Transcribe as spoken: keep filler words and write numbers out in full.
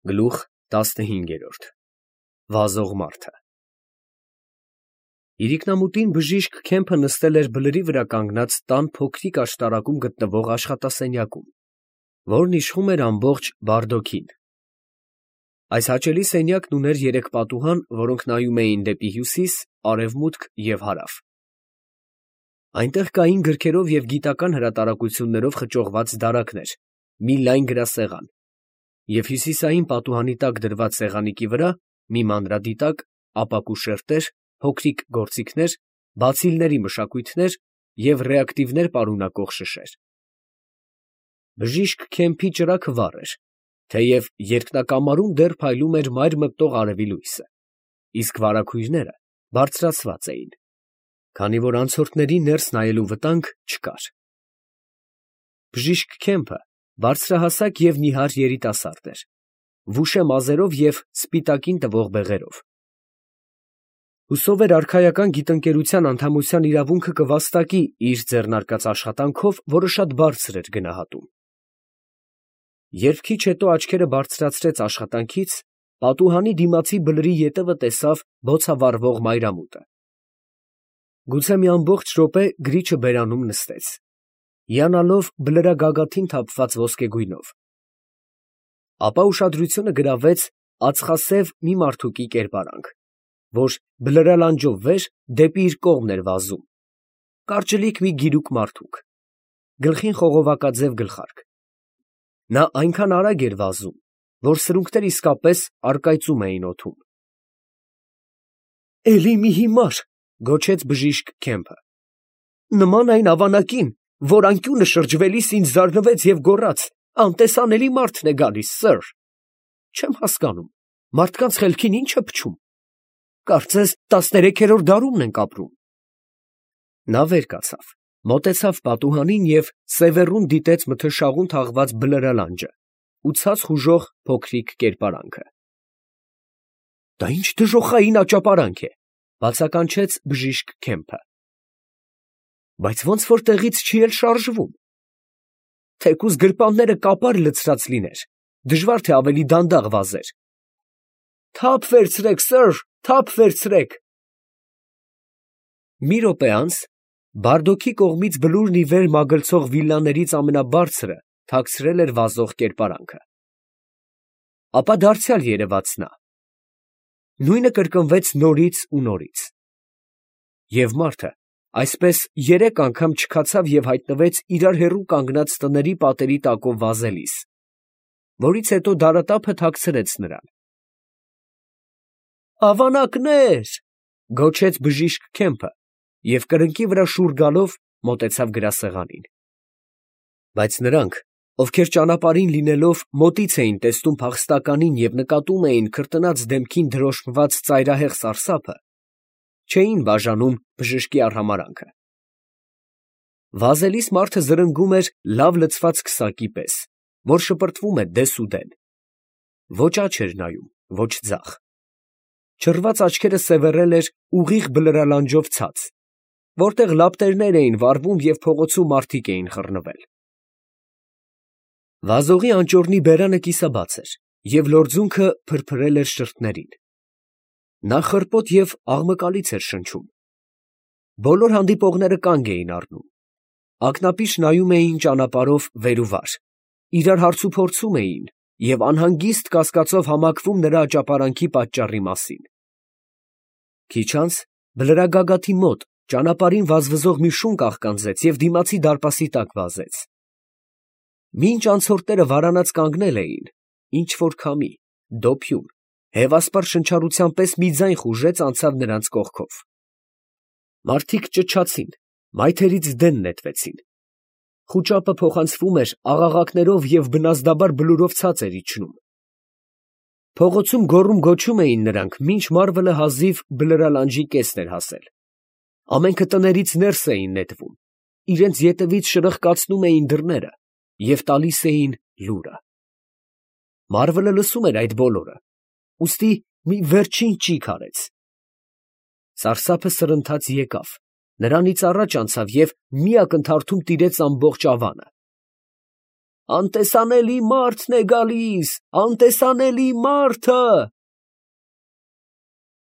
Գլուխ տասնհինգ. Վազող մարդը Իրիկնամուտին բժիշկ Քեմփը նստել էր բլրի վրա կանգնած տան փոքրիկ աշտարակում գտնվող աշխատասենյակում, որն իշխում էր ամբողջ Բարդոքին։ Այս հաճելի սենյակն ուներ երեք պատուհան, որոնք նայում էին դեպի հյուսիս, արևմուտք և հարավ։ Այնտեղ կային գրքերով և գիտական հրատարակություններով խճողված դարակներ, մի լայն գրասեղան, և հյուսիսային պատուհանի տակ դրված սեղանիկի վրա մի մանրադիտակ, ապակու շերտեր, փոքրիկ գործիքներ, բացիլների մշակույթներ և ռեակտիվներ պարունակող շշեր։ Բժիշկ Քեմփի ճրագը վառ էր, թեև երկնակամարում դեռ փայլում էր մայր մտնող արևի լույսը, իսկ վարագույրները բարձրացված էին, քանի որ անցորդների ներս նայելու վտանգ չկար։ Բժիշկ Քեմփը բարձրահասակ և նիհար երիտասարդ էր, վուշե մազերով և սպիտակին տվող բեղերով։ Հուսով էր արքայական գիտընկերության անդամության իրավունքը կվաստակի իր ձեռնարկած աշխատանքով, որը շատ բարձր էր գնահատում։ Երբ քիչ հետո աչքերը բարձրացրեց աշխատանքից, պատուհանի դիմացի բլրի ետևը տեսավ բոցավառվող մայրամուտը։ Գուցե մի ամբողջ րոպե գրիչը բերանում նստեց, հիանալով բլրագագաթին թափված ոսկեգույնով, ապա ուշադրությունը գրավեց ածխասև մի մարդուկի կերպարանք, որ բլրալանջով վեր դեպի իր կողմն էր վազում, կարճլիկ մի գիրուկ մարդուկ, գլխին խողովակաձև գլխարկ։ Նա այնքան արագ էր վազում, որ սրունքները իսկապես առկայծում էին օդում։ ֊ Էլի մի հիմար, ֊ գոչեց բժիշկ Քեմփը, ֊ նման այն ավանակին, որ անկյունը շրջվելիս ինձ զարնվեց և գոռաց. «Անտեսանելի մարդն է գալիս, սըր»։ Չեմ հասկանում, մարդկանց խելքին ի՞նչ է փչում. կարծես տասներեքերորդ դարումն ենք ապրում։ Նա վեր կացավ, մոտեցավ պատուհանին և սևեռուն դիտեց մթնշաղուն թաղված բլրալանջը ու ցած խուժող փոքրիկ կերպարանքը։ ֊ Դա ի՞նչ դժոխային աճապարանք է, ֊ բացականչեց բժիշկ Քեմփը, ֊ բայց ոնց որ տեղից չի էլ շարժվում։ Թեկուզ գրպանները կապար լցրած լիներ, դժվար թե ավելի դանդաղ վազեր։ Թափ վերցրեք, սըր, թափ վերցրեք։ Մի րոպե անց Բարդոքի կողմից բլուրն ի վեր մագլցող վիլլաներից ամենաբարձրը թաքցրել էր վազող կերպարանքը։ Ապա դարձյալ երևաց նա. նույնը կրկնվեց նորից ու նորից։ Եվ մարդը այսպես երեք անգամ չքացավ և հայտնվեց իրար հեռու կանգնած տների պատերի տակով վազելիս, որից հետո դարատափը թաքցրեց նրան։ «Ավանակնե՜ր», ֊ գոչեց բժիշկ Քեմփը և կրկնակի վրա շուռ գալով մոտեցավ գրասեղանին։ Բայց նրանք, ովքեր ճանապարհին լինելով մոտից էին տեսնում փախստականին և նկատում էին քրտնած դեմքին դրոշմված ծայրահեղ սարսափը, չէին բաժանում բժշկի արհամարհանքը։ Վազելիս մարդը զրնգում էր լավ լցված քսակի պես, որ շպրտվում է դեսուդեն. ոչ աջ էր նայում, ոչ ձախ, չռված աչքերը սևեռել էր ուղիղ բլրալանջով ցած, որտեղ լապտերներ էին վառվում և փողոցում մարդիկ էին խռնվել։ Վազողի անճոռնի բերանը կիսաբաց էր և լորձունքը փրփրել էր շրթերին։ Նա խռպոտ և աղմկալից էր շնչում։ Բոլոր հանդիպողները կանգ էին առնում, ակնապիշ նայում էին ճանապարհով վեր ու վար, իրար հարցուփորձում էին և անհանգիստ կասկածով համակվում նրա աճապարանքի պատճառի մասին։ Քիչ անց բլրագագաթի մոտ ճանապարհին վազվզող մի շուն կաղկանձեց և դիմացի դարպասի տակ վազեց։ Մինչ անցորդները վարանած կանգնել էին, ինչ֊որ քամի, դոփյուն, հևասպառ շնչառության պես մի ձայն խուժեց անցավ նրանց կողքով։ Մարդիկ ճչացին, մայթերից դեն նետվեցին։ Խուճապը փոխանցվում էր աղաղակներով և բնազդաբար բլուրով ցած էր իջնում։ Փողոցում գոռում֊գոչում էին նրանք, մինչ մարվելը հազիվ բլրալանջի կեսն էր հասել։ Ամենքը տներից ներս էին նետվում, իրենց ետևից շրխկացնում էին դռները և տալիս էին լուրը։ Մարվելը լսում էր այդ բոլորը, ուստի մի վերջին ճիգ արեց։ Սարսափը սրընթաց եկավ, նրանից առաջ անցավ և մի ակնթարթում տիրեց ամբողջ ավանը։ Անտեսանելի մարդն է գալիս, անտեսանելի մարդը։